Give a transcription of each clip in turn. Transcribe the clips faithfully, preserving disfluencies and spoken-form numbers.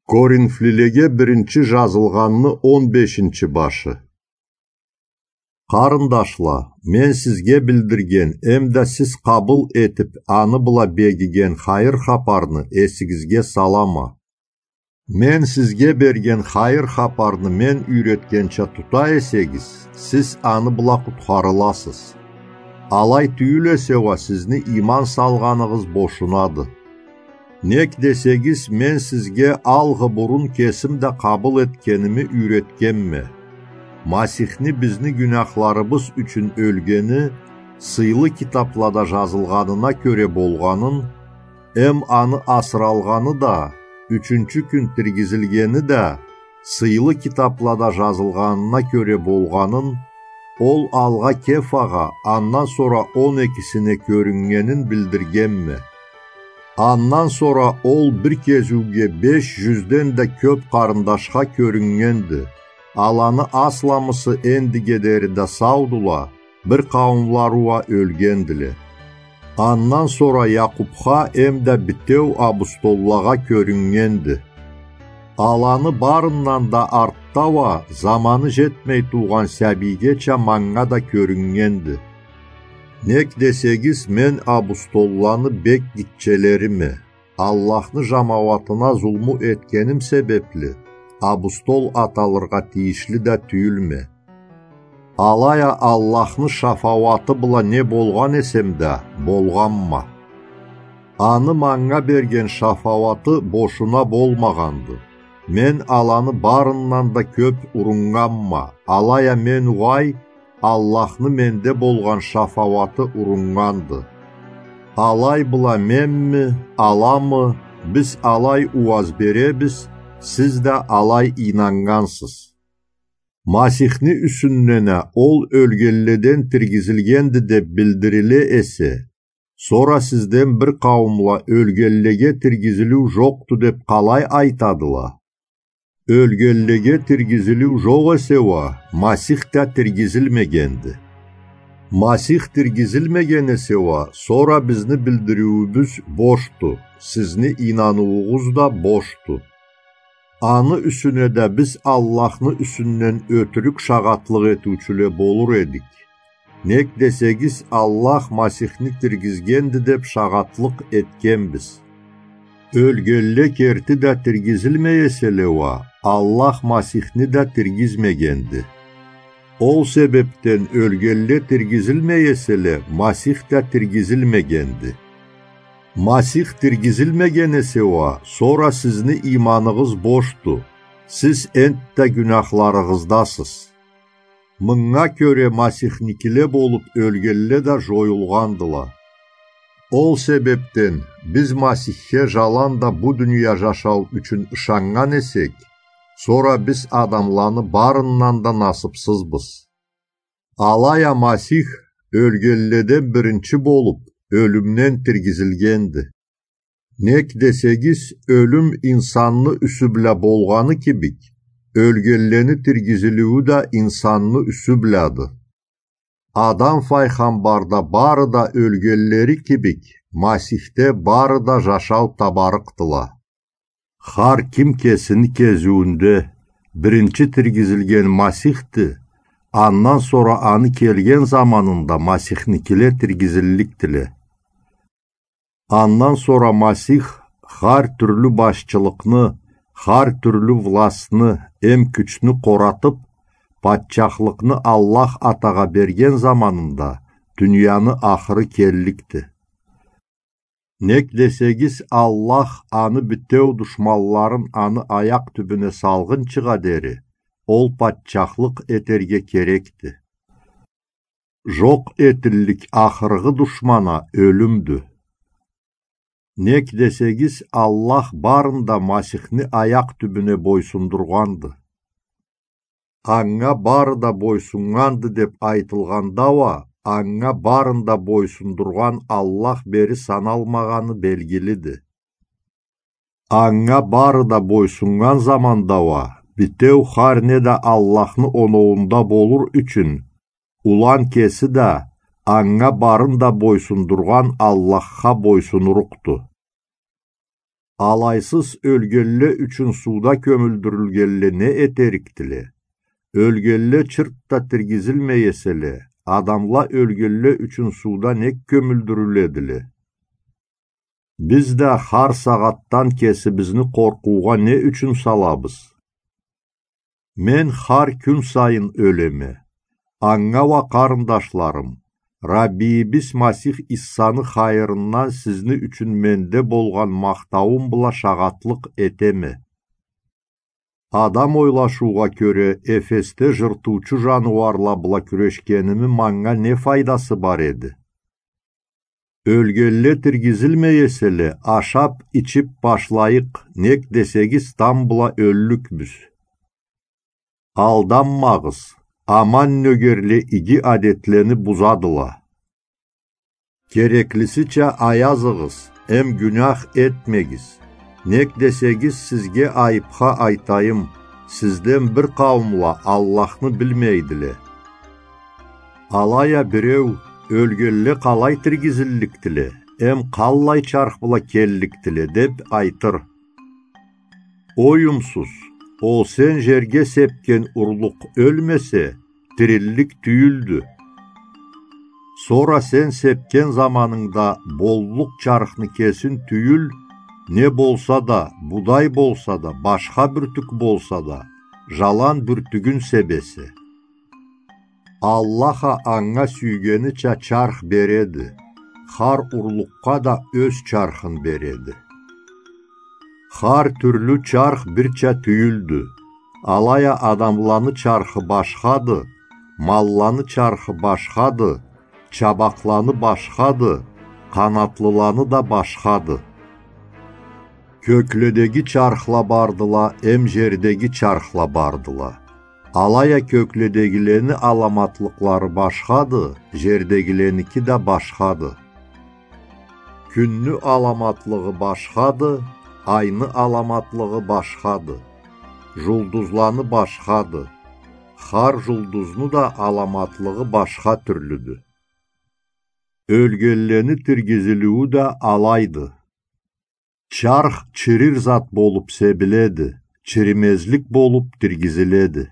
Коринфлилеге биринчи жазылгъанны он бешинчи башы. Къарындашла, мен сизге билдирген эмда сиз къабыл этип, аны бла бегиген хайыр хапарны эсигизге салама. Мен сизге берген хайыр хапарны мен юйретгенча тута эсегиз, сиз аны бла къутхарыласыз. Алай тюйюл эсе уа, сизни ийман салгъаныгъыз бошунады. Нек десегиз, мен сизге алгъы бурун кесим да къабыл этгеними юйретгенме. Масихни бизни гюнахларыбыз ючюн ёлгени сыйлы китаплада жазылгъанына кёре болгъанын, эм аны асыралгъаны да, ючюнчю кюн тиргизилгени да сыйлы китаплада жазылгъанына кёре болгъанын, ол алгъа Кефагъа, андан сора он экисине кёрюннгенин билдиргенме. Андан сора ол бир кезиуге беш жюзден да кёп къарындашха кёрюннгенди. Аланы асламысы эндиге дери да саудула, бир къауумлары уа ёлгендиле. Андан сора Якъупха эмда битеу абустоллагъа кёрюннгенди. Аланы барындан да артда уа заманы жетмей тургъан сабийгеча манга да кёрюннгенди. Нек десегиз, мен абустолланы бек гитчелериме, Аллахны жамауатына зулму этгеним себепли, абустол аталыргъа тийишли да тюйюлме. Алай а Аллахны шафауаты бла не болгъан эсем да, болгъанма. Аны манга берген шафауаты бошуна болмагъанды. Мен аланы барындан да кёп уруннганма, алай а мен угъай, Аллахны менде болгъан шафауаты уруннганды. Алай бла менми, аламы, биз алай ууаз беребиз, сиз да алай ийнаннгансыз. Масихни юсюнден а ол ёлгенледен тиргизилгенди деп билдириле эсе, сора сизден бир къауумла ёлгенлеге тиргизилиу жокъду деп къалай айтадыла? Ёлгенлеге тиргизилиу жокъ эсе уа, Масих да тиргизилмегенди. Масих тиргизилмеген эсе уа, сора бизни билдириуюбюз бошду, сизни ийнануугъуз да бошду. Аны юсюне да биз Аллахны юсюнден ётюрюк шагъатлыкъ этиучюле болур эдик. Нек десегиз, Аллах Масихни тиргизгенди деп шагъатлыкъ этгенбиз. Ёлгенле керти да тиргизилмей эселе уа, Аллах Масихни да тиргизмегенди. Ол себепден ёлгенле тиргизилмей эселе, Масих да тиргизилмегенди. Масих тиргизилмеген эсе уа, сора сизни ийманыгъыз бошду, сиз энтда гюнахларыгъыздасыз. Мынга кёре Масихникиле болуп ёлгенле да жоюлгъандыла. Ол себепден биз Масихге жаланда бу дуния жашау ючюн ышаннган эсек, сора биз адамланы барындан да насыпсызбыз. Алай а Масих ёлгенледен биринчи болуп, ёлюмден тиргизилгенди. Нек десегиз, ёлюм инсанны юсю бла болгъаны кибик, ёлгенлени тиргизилиую да инсанны юсю блады. Адам файгъамбарда бары да ёлгенлери кибик, Масихде бары да жашау табарыкъдыла. Хар ким кесини кезиуюнде биринчи тиргизилген Масихди, андан сора аны келген заманында Масихникиле тиргизилликдиле. Андан сора Масих хар тюрлю башчылыкъны, хар тюрлю властны эм кючню къоратып, патчахлыкъны Аллах Атагъа берген заманында дунияны ахыры келликди. Нек десегиз, Аллах аны битеу душманларын аны аякъ тюбюне салгъынчыгъа дери ол патчахлыкъ этерге керекди. Жокъ этиллик ахыргъы душман а ёлюмдю. Нек десегиз, Аллах барын да Масихни аякъ тюбюне бойсундургъанды. Анга бары да бойсуннганды деп айтылгъанда уа, анга барын да бойсундургъан Аллах бери саналмагъаны белгилиди. Анга бары да бойсуннган заманда уа, битеу хар не да Аллахны оноуунда болур ючюн, улан кеси да, анга барын да бойсундургъан Аллахха бойсунурукъду. Алайсыз ёлгенле ючюн сууда кёмюлдюрюлгенле не этерикдиле? Ёлгенле чырт да тиргизилмей эселе, адамла ёлгенле ючюн сууда нек кёмюлдюрюледиле? Биз да хар сагъатдан кесибизни къоркъуугъа не ючюн салабыз? Мен хар кюн сайын ёлеме. Анга уа, къарындашларым, Раббийибиз Масих Иссаны хайырындан сизни ючюн менде болгъан махтауум бла шагъатлыкъ этеме. Адам ойлашыугъа кёре, Эфесде жыртыучу жаныуарла бла кюрешгеними манга не файдасы бар эди? Ёлгенле тиргизилмей эселе, ашап, ичип башлайыкъ, нек десегиз, тамбла ёллюкбюз. Алданмагъыз, аман нёгерле иги адетлени бузадыла. Кереклисича аязыгъыз, эм гюнях этмегиз. Нек десегиз, сизге айыпха айтайым, сизден бир къауумла Аллахны билмейдиле. Алай а биреу: «Ёлгенле къалай тиргизилликдиле, эм къаллай чарх бла келликдиле?» — деп айтыр. Оюмсуз, ол сен жерге сепген урлукъ ёлмесе, тириллик тюйюлдю. Сора сен сепген заманынгда боллукъ чархны кесин тюйюл, не болса да, будай болса да, башха бюртюк болса да, жалан бюртюгюн себесе. Аллах а анга сюйгенича чарх береди, хар урлукъгъа да ёз чархын береди. Хар тюрлю чарх бирча тюйюлдю. Алай а адамланы чархы башхады, малланы чархы башхады, чабакъланы башхады, къанатлыланы да башхады. Кёкледеги чархла бардыла, эм жердеги чархла бардыла. Алай а кёкледегилени аламатлыкълары башхады, жердегиленики да башхады. Кюнню аламатлыгъы башхады, айны аламатлыгъы башхады, жулдузланы башхады. Хар жулдузну да аламатлыгъы башха тюрлюдю. Ёлгенлени тиргизилиую да алайды. Чарх чирир зат болуп себиледи, чиримезлик болуп тиргизиледи.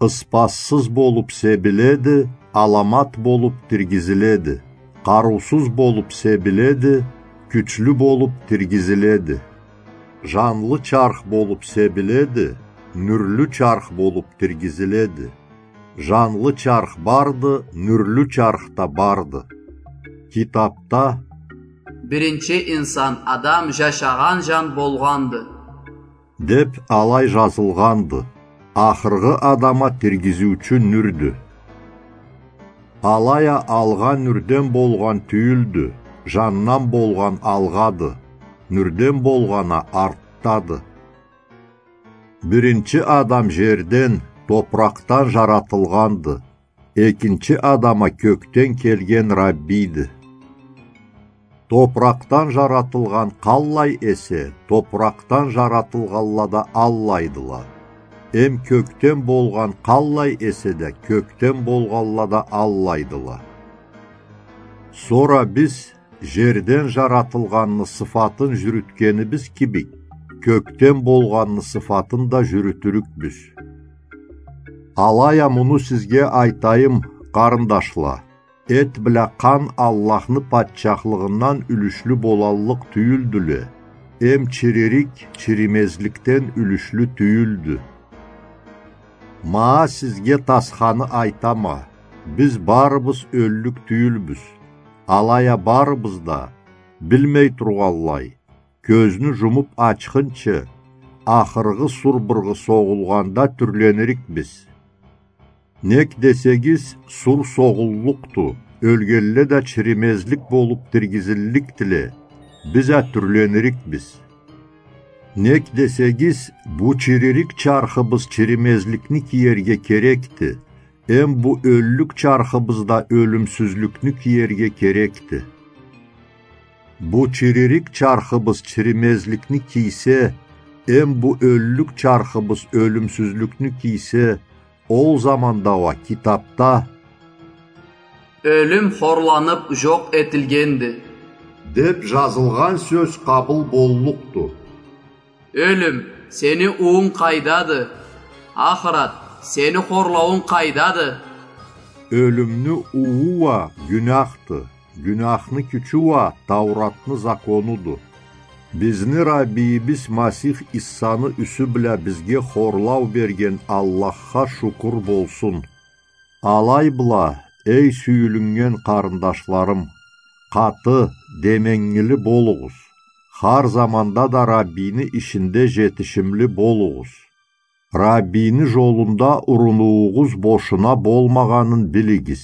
Ыспассыз болуп себиледи, аламат болуп тиргизиледи. Къарыусуз болуп себиледи, кючлю болуп тиргизиледи. Жанлы чарх болуп себиледи, нюрлю чарх болуп тиргизиледи. Жанлы чарх барды, нюрлю чарх да барды. Китапда: «Биринчи инсан Адам жашагъан жан болгъанды» — деп алай жазылгъанды. Ахыргъы Адам а тиргизиучю нюрдю. Алай а алгъа нюрден болгъан тюйюлдю, жандан болгъан алгъады, нюрден болгъан а артдады. Биринчи Адам жерден, топуракъдан жаратылгъанды, экинчи Адам а кёкден келген Раббийди. Топуракъдан жаратылгъан къаллай эсе, топуракъдан жаратылгъанла да аллайдыла. Эм кёкден болгъан къаллай эсе да, кёкден болгъанла да аллайдыла. Сора биз жерден жаратылгъанны сыфатын жюрютгенибиз кибик, кёкден болгъанны сыфатын да жюрютюрюкбюз. Алай а муну сизге айтайым, къарындашла: эт бла къан Аллахны патчахлыгъындан юлюшлю болаллыкъ тюйюлдюле, эм чиририк чиримезликден юлюшлю тюйюлдю. Ма сизге тасханы айтама: биз барыбыз ёллюк тюйюлбюз. Алай а барыбыз да, билмей тургъанлай, кёзню жумуп ачхынчы, ахыргъы сур быргъы согъулгъанда тюрленирикбиз. Нек десегиз, сур согъуллукъду, ёлгенле да чиримезлик болуп тиргизилликдиле, биз а тюрленирикбиз. Нек десегиз, бу чиририк чархыбыз чиримезликни киерге керекди, эм бу ёллюк чархыбыз да ёлюмсюзлюкню киерге керекди. Бу чиририк чархыбыз чиримезликни кийсе, эм бу ёллюк чархыбыз ёлюмсюзлюкню кийсе, ол заманда уа китапда: «Ёлюм хорланып жокъ этилгенди» деп жазылгъан сёз къабыл боллукъду. Ёлюм, сени уунг къайдады? Ахырат, сени хорлауунг къайдады? Ёлюмню ууу уа гюняхды, гюняхны кючю уа Тауратны законуду. Бизни Раббийибиз Масих Иссаны юсю бла бизге хорлау берген Аллахха шукур болсун. Алай бла, эй сюйюлюннген къарындашларым, къаты, деменгили болугъуз. Хар заманда да Раббийни ишинде жетишимли болугъуз. Раббийни жолунда урунууугъуз бошуна болмагъанын билигиз.